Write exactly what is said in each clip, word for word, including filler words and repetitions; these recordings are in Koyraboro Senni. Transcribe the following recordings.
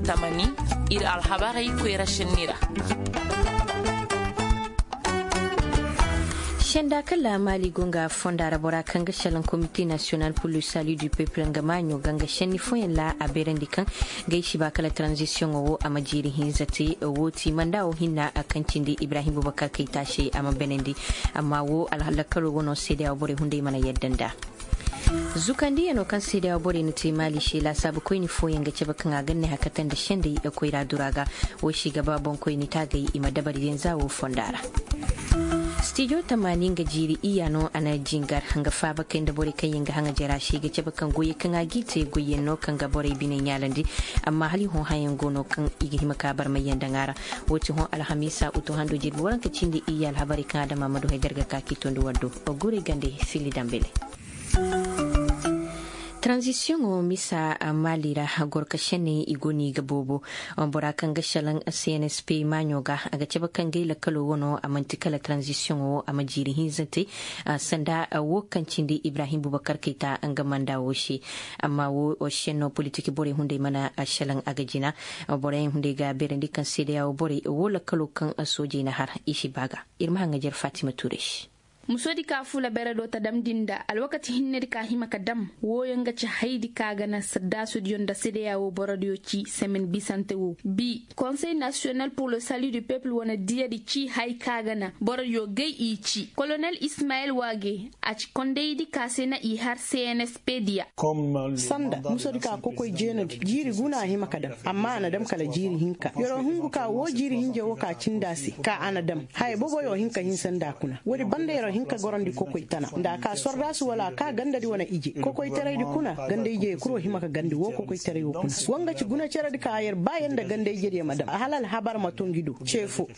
Tamani, ir alhabarey koyra šenni ra. Senda kala maali go nga fonda ra bora kaŋ ga šelaŋ komite nasiyonal pur le salut du peuple nga maaɲo ga nga šenni fooyaŋ ra a beerandi kaŋ ga ay si ba kala tranzisiyoŋo wo a ma jiiri hinza te. Wo ti manda wo hinna kaŋ cindi ibrahim bubakar kayta se a ma beenandi. Amma wo alhalakalo wano seedeya wo borey hunday mana yadda nda. Zukandiyano kaŋ seedeya wo borey na te maali se laasaabu koyni fooyaŋ ga cabe kaŋ a ga ne hakata nda sendey koyra dura ga. Wo si ga ba boŋkoyni taagay i ma dabari din za wo fonda ra. Stijo tamaani nga jiiri iyya no a na jingar nga faaba kay nda borey kaŋ yaŋ ga haŋa jara se i ga cabe kaŋ goyey kaŋ a g'i te goyyaŋ no kaŋ ga borey biney ɲaalandi. Amma hala i hõ hayaŋ go no kaŋ i ga hima ka barmayyaŋ daŋ a ra. Wo ti hõ alhamiisa utu hando jirbi waranka cindi iyya alhabarey kaŋ adama ma du hay da ir ga ka k'i tondi war do. Guray gande sili dambele. Tranzisiyoŋo misa maali ra gorka senney i go no i ga boobo. Bora kaŋ ga šelaŋ cnsp maaɲo ga a ga cabe kaŋ gay lakkalo wano a man'ti kala tranzisiyoŋo wo a ma jiiri hinza te. Sanda wo kaŋ cindi ibrahim bubakar kayta nga manda wo se. Amma wo senno politik borey hunday mana šelaŋ a ga jina. Boroyaŋ hunday ga beerandi kaŋ seedeya wo borey wo lakkalo kaŋ soojey na har i si ba ga. Ir ma haŋajer fatima tuure se. Musoodi ka fula bere do ta damndi nda alwakati hinnedi ka hima ka dam. Wooyo nga ci haydi ka ga na saddaasudiyo nda sedeya wo borodiyo ci semen bisante wo bi konsey nasiyonal pur le salut du peuple wane diyadi ci hay ka ga na borodiyo gay i ci kolonel ismayel waage. A ci kondaydi ka se na i har cnsp diya. Sanda musoodi ka kokoy jeenadi jiiri guna a hima ka dam. Amma a na dam kala jiiri hinka yer'o hungu ka woo jiiri hinja woo ka cindi a se ka a na dam. Haya boboyo hin ka hinsa nda a kuna woodi banda yer'o hin ka gorandi kokoy tana nda a ka sordaasu wala a ka gandadi wane ije kokoytaraydi kuna. Ganda ijey kul wo hima ka gandi woo kokoytaray wo kuna. Woo nga ci gunaceradi ka yer ba yer nda ganda ijediyo ma dam hala alhabar ma to ngi do ce foo.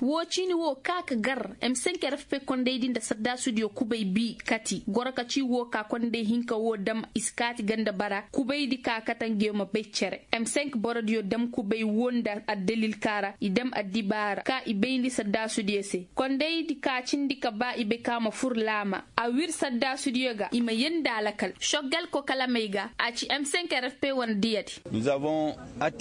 Woo ciini woo ka ka gar m cinq rfp kondaydi nda sardaasudiyo kubay bi kati goro ka ci woo ka konday hinka woo dam i si kaati ganda bara kubaydi ka kate ngiyo ma bay cere. M cinq borodiyo dam kubay woo nda addalil ka ra i dam addibaara ka i bayndi sardaasudiyo se kondaydi ka cindi ka ba i bay ka ma fur laama. A wir sardaasudiyo ga i ma yee nda alakal soggal kokalamey ga a ci m cinq rfp wane diyadi.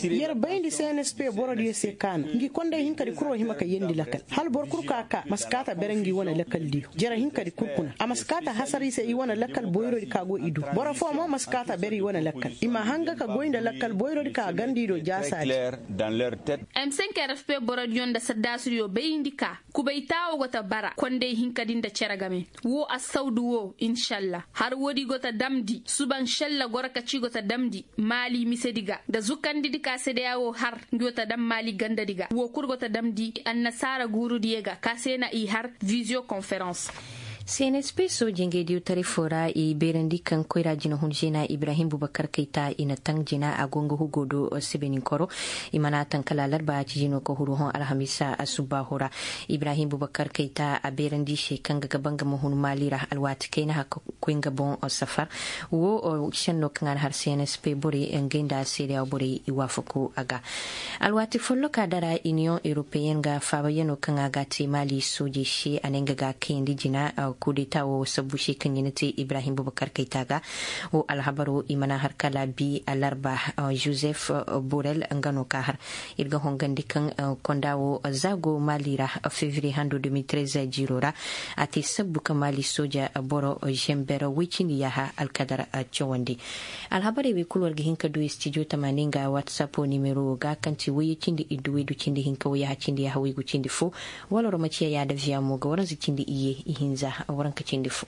Yer bayndi cnsp borodiyo se ka na ngi konday hinkadi kul wo hima ka yeendi lakal hala boro kul ka ka ma si kaati a bere ngi wane lakaldiyo jere hinkadi kul kuna a ma si kaati a hasar i se i wane lakal boyrodi ka go i du. Boro foo mo ma si kaati a bere i wane lakal i ma hanga ka goy nda lakal boyrodi ka ganda i do jaasaadi. M cinq rfp borodiyo nda sardaasudiyo bayndi ka kubay taawo go ta bara konday hinkadi nda cere game. Woo assawdu woo inšalla har woodi go ta damndi suba inšalla goro ka ci go ta damndi maali misedi ga nda zukandidi ka sedeya woo har ngi go ta dam maali gandadi ga woo kul go ta damndi annasaara guurudiyo ga ka se na i har viziyo konferans. Cnsp sooje ngey diwtaray foo ra i beerandi kaŋ koyra jinahun zeena ibrahim bubakar kayta i na taŋ jina a go nga hugo do sebeninkoro. I mana taŋ kala alarba a ci jino ka huru hõ alhamiisa asubbaahu ra. Ibrahim bubakar kayta a beerandi i se kaŋ ga gaba nga ma hun maali ra alwaati kayna haka koy nga boŋ safar. Woo senno kaŋ a na har cnsp borey ngey nda seedeya borey i waafaku a ga. Alwaati folloka dara iniyoŋ europeyen ga faabayanoo kaŋ a ga a te maali soojey se a ne nga ga a kayandi jina. Kudeta woo sabbu se kaŋ i na te ibrahim bubakar kayta ga. Woo alhabaroo i mana har kala bi alarba. Joseph borel nga no ka har ir ga hongandi kaŋ konda woo za go maali ra. Fevriye hando deux mille treize jiiroo ra a te sabbu ka maali sooja boro zember woy cindi yaaha alkadar cawandi. Alhabarey wey kul war ga hin ka du studio tamaani nga whatsapp nimero ga kaŋ ti woyye cindi iddu waydu cindi hinka wayyaha cindi yaaha waygu cindi fo. Wala war ma ciya yaada viya mo ga waranza cindi iyye ihinza waranka cindi fo.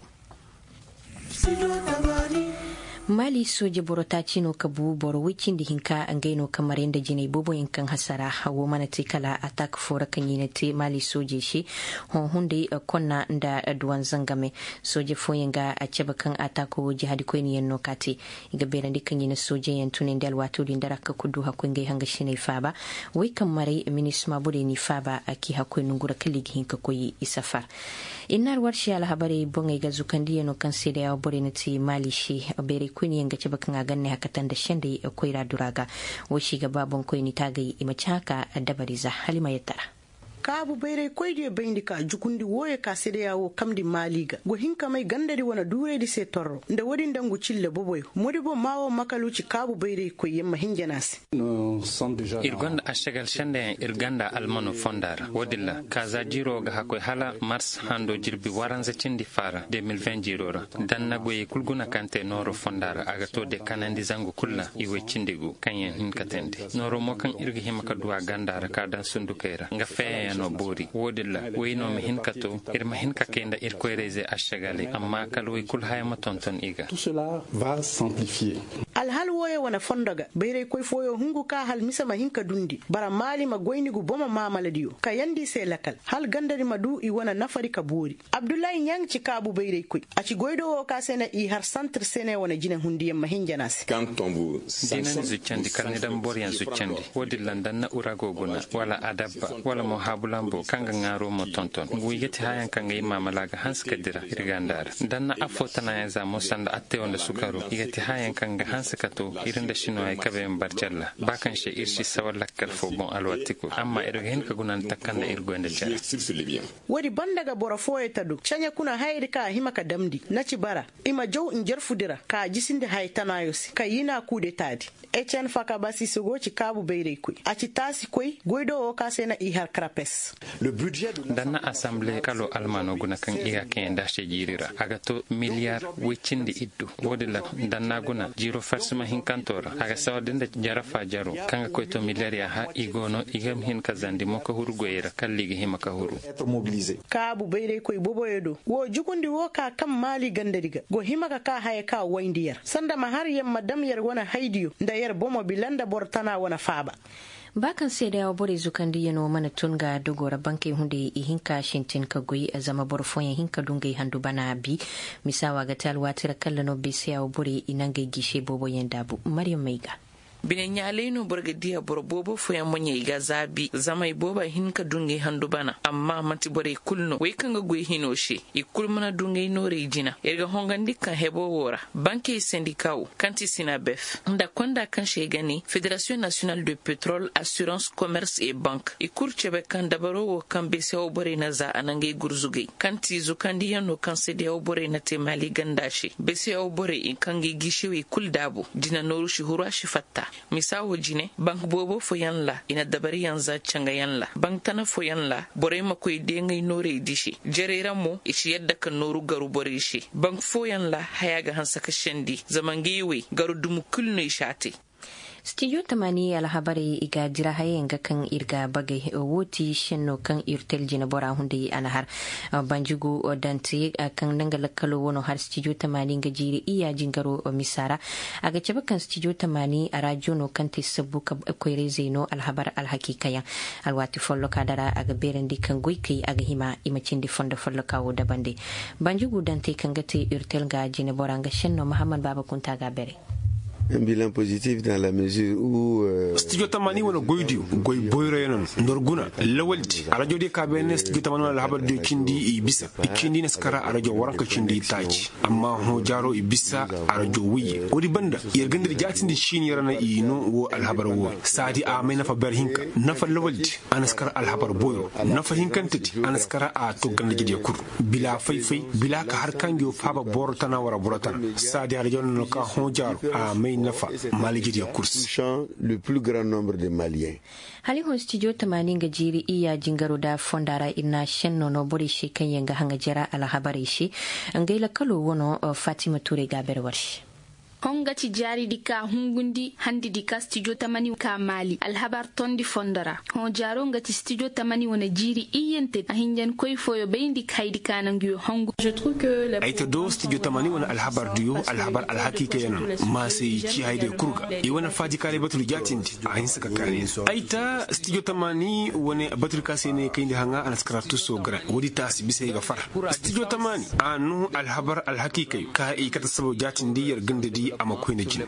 Maali sooje boro taaci no ka bu boro woy cindi hinka ngey no ka maray nda jinay booboyaŋ kaŋ hasara. Wo mana te kala ataak foo ra kaŋ i na te maali soojey se. Hõ hunday konna nda duwan zangame. Sooje fooyaŋ ga a cabe kaŋ ataako wo jihadikoyniyaŋ no ka te. I ga beerandi kaŋ i na soojeyaŋ tunandi alwaatoo din da ra ka kul du hakkoy ngey hangasiney faaba. Wey kaŋ maray minisma borey n'i faaba a k'i hakkoy nongu ra kala i ga hin ka koy i safar. Ir na alwarsi alhabarey boŋey ga zukandiyano kaŋ seedeya borey na te maali se. Beeray koyniyaŋ ga cabe kaŋ a ga ne hakata nda sendey koyra dura ga. Wo si ga ba boŋkoyni taagay i ma ci haka dabariza hala i ma yattara. Kaabu bayraykoydiyo bayndi ka jukundi wooyo ka sedeya woo kamndi maali ga go hin ka may gandadi wane duuraydi se torro nda woodi nda ngu cille boboyo modibo maa woo makalu ci kaabu bayraykoyyaŋ ma hin jana se. Ir gonda ašagal sendeyaŋ ir ganda almano fonda ra woodin ra kaaza jiiro ga hakkoy hala mars hando jirbi waranza cindi faara de mil ven jiiro ra. Danna goyey kul guna kaŋ te nooro fonda ra a ga to de kanandi zangu kul ra i woy cindi gu kaŋyaŋ hin ka teendi. Nooro mo kaŋ ir ga hima ka du a ganda ra ka daŋ sundukey ra nga feeyaŋ no boori woodin ra woy no ma hin ka to ir ma hin ka kay nda ir koyrayzey ašagaley amma kala woy kul haya ma tonton i ga. Alhal wooyo wane fondo ga bayraykoy fooyo hungu ka hal mise ma hin ka dundi bara maali ma goyni gu bomo maamaladiyo kayandi i se lakal hal gandadi ma du i wane nafadi ka boori. Abdullahi ɲaŋ ci kaabu bayraykoy a ci goydoo woo ka se na i har santir sene wane jinehundiyaŋ ma hin jana se. Dina ni zuccandi kala ni daŋ boroyaŋ zuccandi woodin ra nda na urago guna wala adabba wala mo haabulambo kaŋ ga ŋaaro mo tonton ngu i ga ti hayaŋ kaŋ ga i maamala ga hanse ka dira ir ganda ra nda na affoo tanaayaŋ za mo sanda attayoo nda sukaroo i ga ti hayaŋ kaŋ ga hanse ka to ir nda sinuwaayey kabeyaŋ barjalla ba kaŋ se ir si sawa lakkal foo boŋ alwaati kul amma ir ga hin ka guna nda takanda ir goy nda cere. Woodi banda ga boro fooyo ta du ceɲe kuna hayadi kaŋ a hima ka damndi na ci bara i ma jaw njarfudi ra ka a jisindi haya tanaayo se ka yinaa kuu de taadi. Ecen fakabasi se go ci kaabu bayraykoy a ci taasikoy goydoo woo ka se na i har karapes. Danna asamble kalo almano guna kaŋ i ga kayandi a se jiiri ra a ga to miliyar woy cindi iddu. Woodin ra danna guna jiiro farsima hinkantoo ra a ga sawar da nda jarafa jaroo kaŋ ga koy to miliyar yaaha i go no i ga hin ka zandi mo ka huru goyey ra kala i ga hima ka huru. Kaabu bayraykoy boboyo do woo jukundi woo ka kaŋ maali gandadi ga go hima ka kaa haya ka wayndi yer sanda ma har yer ma dam yer wane haydiyo nda yer bomo bila nda boro tana wane faaba. Ba kaŋ seedeya woo borey zukandiyanoo mana tun ga dogoo ra bankey hunday ihinka sintin ka goy zama boro fooyaŋ hin ka du ngey handu bana bi. Misa woo a ga te alwaati ra kalla no beeseya woo borey i na ngey giisey booboyaŋ daabu maryam may ga. Bine ɲaalay no boro ga diya boro boobo fooyaŋ moɲey ga zaabi zama i booba hin ka du ngey handu bana amma man'ti borey kul no wey kaŋ ga goy hinoo se. I kul mana du ngey noorey jina ir ga hongandi kaŋ heboo woo ra bankey sendika woo kaŋ ti sinabef nda konda kaŋ se ay ga ne federasiyoŋ nasiyonal de petrol assurans komers et bank i kul cebe kaŋ dabaroo woo kaŋ beeseyaw borey na za a na ngey gurzugay kaŋ ti zukandiyaŋ no kaŋ seedeyaw borey na te maali ganda se beeseyaw borey kaŋ ga i giisewey kul daabu dina nooru si huru a si fatta. Misa woo jine bank boobo fooyaŋ ra i na dabariyaŋ za cangayaŋ ra bank tana fooyaŋ ra borey ma koy deŋay noorey di se jerey ra mo i si yadda ka nooru garu borey se bank fooyaŋ ra haya ga hanse ka sendi zama ngey wey garu dumu kul no i si a te. Stijo tamaani alhabarey i ga dira hayayaŋ ga kaŋ ir ga bagay woo ti senno kaŋ ir tel jinebora hunday a na har banjugu dante kaŋ na nga lakkalo wano har stijo tamaani nga jiiri iyya jingaro misa ra. A ga cabe kaŋ stijo tamaani arajo no kaŋ te sabbu ka koyrayzey no alhabar alhakiikayaŋ. Alwaati folloka dara a ga beerandi kaŋ goykey a ga hima i ma cindi fondo folloka wo dabande. Banjugu dante kaŋ ga te ir tel nga jinebora nga senno mahammad baaba kunta ga a bere. Stijo tamaani wane goydiyo goy boyroyaŋ no nor guna lawaldi arajodiyo ka beene stijo tamaani wane alhabardiyo cindi i bisa i cindi naskara arajo waranka cindi taaci. Amma hõ jaaro i bisa arajo wayye woodi banda yer ganda di jaatindi siini ra na i no wo alhabar wooyo saadi a may nafa ber hinka nafa lawaldi. A na si kar alhabar boyro nafa hinkantedi a na si kar a to ganda jediyo kul bila fay-fay bila ka har ka ngiyo faaba boro tana wara boro tana saadi harajaw na no ka hõ jaaro a may nafa maali jediyo kul se. Hali hõ stijo tamaani nga jiiri iyya jingaro da fonda ra ir na senno no borey se kaŋ yaŋ ga haŋa jara alhabarey se. Ngey lakalo wano fatima tuurey ga a bere war se. Hõ nga ci jaaridi ka hungundi handidi ka stijo tamani ka maali alhabar tondi fondo ra. Hõ jaaro nga ci stijo tamani wane jiiri iyyante a hinjankoy fooyo bayndi ka haydi ka na nguyo hongu. Ay ta do stijo tamani wane alhabar diyo alhabar alhakiikayaŋ no. Ma se i ci haydiyo kul ga i wane faajikaaray baturi jaatindi a hinsa ka kaani. Ay ta stijo tamani wane baturi ka se ne kayndi haŋa a na si kara tuso gara woodi taasi bisa ay ga far stijo tamani a no alhabar alhakiikayo ka i kate sabab jaatindi yer ganda di. A ma koyne jine.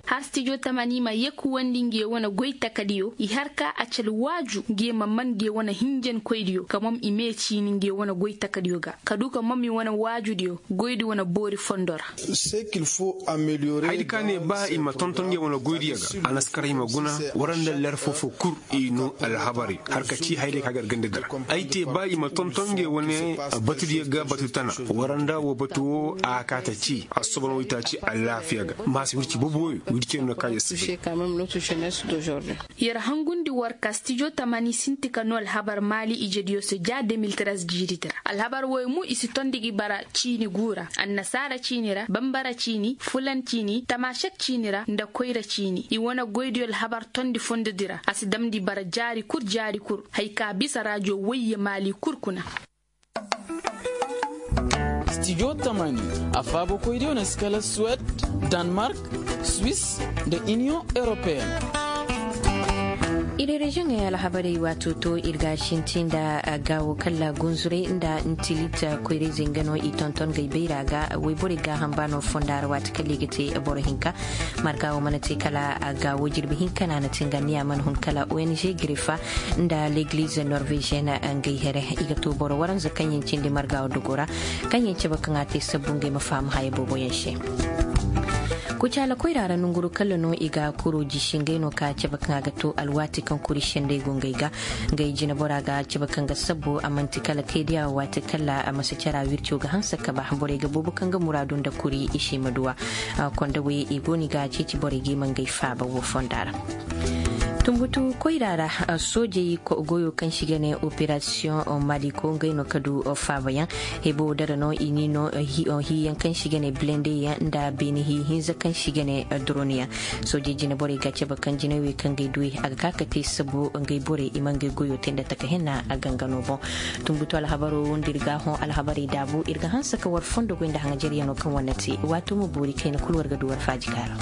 Har stijo tamani ma yekuwandi nge wane goy takadiyo i har ka a cal waaju nge ma man nge wane hinjankoydiyo ka mom i mee ciini nge wane goy takadiyo ga ka du ka mom i wane waajudiyo goydi wane boori fondo ra. Haydi ka ne ba i ma tonton nge wane goydiyo ga a na si kar i ma guna war nda ler foo-foo kul. I noo alhabari har ka ci hayday ka gar ganda dira. Ay te ba i ma tonton nge wane batudiyo ga batu tana war nda woo batu woo a kaata ci assobon waytaaci alaafiya ga maasi wirci boobo wooyo wirci no ka yassi. Yer hangundi war ka stijo tamani sinti ka noo alhabar maali ijediyo se ja de mil tres jiiridi ra alhabar wooyo mo i si tondi gi bara ciini guu ra annasaara ciini ra bambara ciini fulan ciini tamaasek ciini ra nda koyra ciini i wane goydiyo alhabar tondi fondodi ra a si damndi bara jaari kul jaari kul. Hay ka bisa raajo woyye maali kul kuna. Stijo tamani a faabakoydiyo na si kala suwed, danmark, swis, nda iniyoŋ europeyen. Ir reziyoŋey alhabarey waato to ir ga sinti nda gaawo kala gunzurey nda ntilit koyrayzey nga no i tonton gay bayra ga woyborey gaaham ba no fonda ra waati kala i ga te boro hinka. Marga wo mana te kala gaawo jirbi hinka na na te nga niya mana hun kala ong grefa nda legliz norvegien. Ngey here i ga to boro waranza kaŋ yaŋ cindi marga wo dogo ra kaŋ yaŋ cabe kaŋ a te sabbu ngey ma faham haya booboyaŋ se. Kucaala koyra ra nonguru kala no i ga kuro jisi ngey no ka cabe kaŋ a ga to alwaati kaŋ kuri sendey go ngey ga. Ngey jinebora ga cabe kaŋ ga sabbu a man'ti kala kaydiya waati kala a masi cara wirco ga hanse ka ba borey ga boobo kaŋ ga muraadu nda kuri i se ma duw'a. Kondawey i go no i ga ceeci borey ga i ma ngey faaba wo fonda ra. Tunbutu koyra ra soojey goyo kaŋ se i ga ne operasiyoŋ maliko ngey no ka du faabayaŋ. Hebo dara no i ni no hiyaŋ kaŋ se i ga ne bilendeyaŋ nda beene hi hinza kaŋ se i ga ne doroniyaŋ. Soojey jine borey ga cabe kaŋ jinawey kaŋ ga ay duwey a ga ka ka te sabu ngey borey i ma ngey goyo te nda taka henna a gangano boŋ. Tunbutu alhabaro nda ir ga a hõ alhabarey daabu ir ga hanse ka war fondo goy nda haŋajeryano kaŋ war na te waato ma boori kayna kul war ga du war faaji kaara.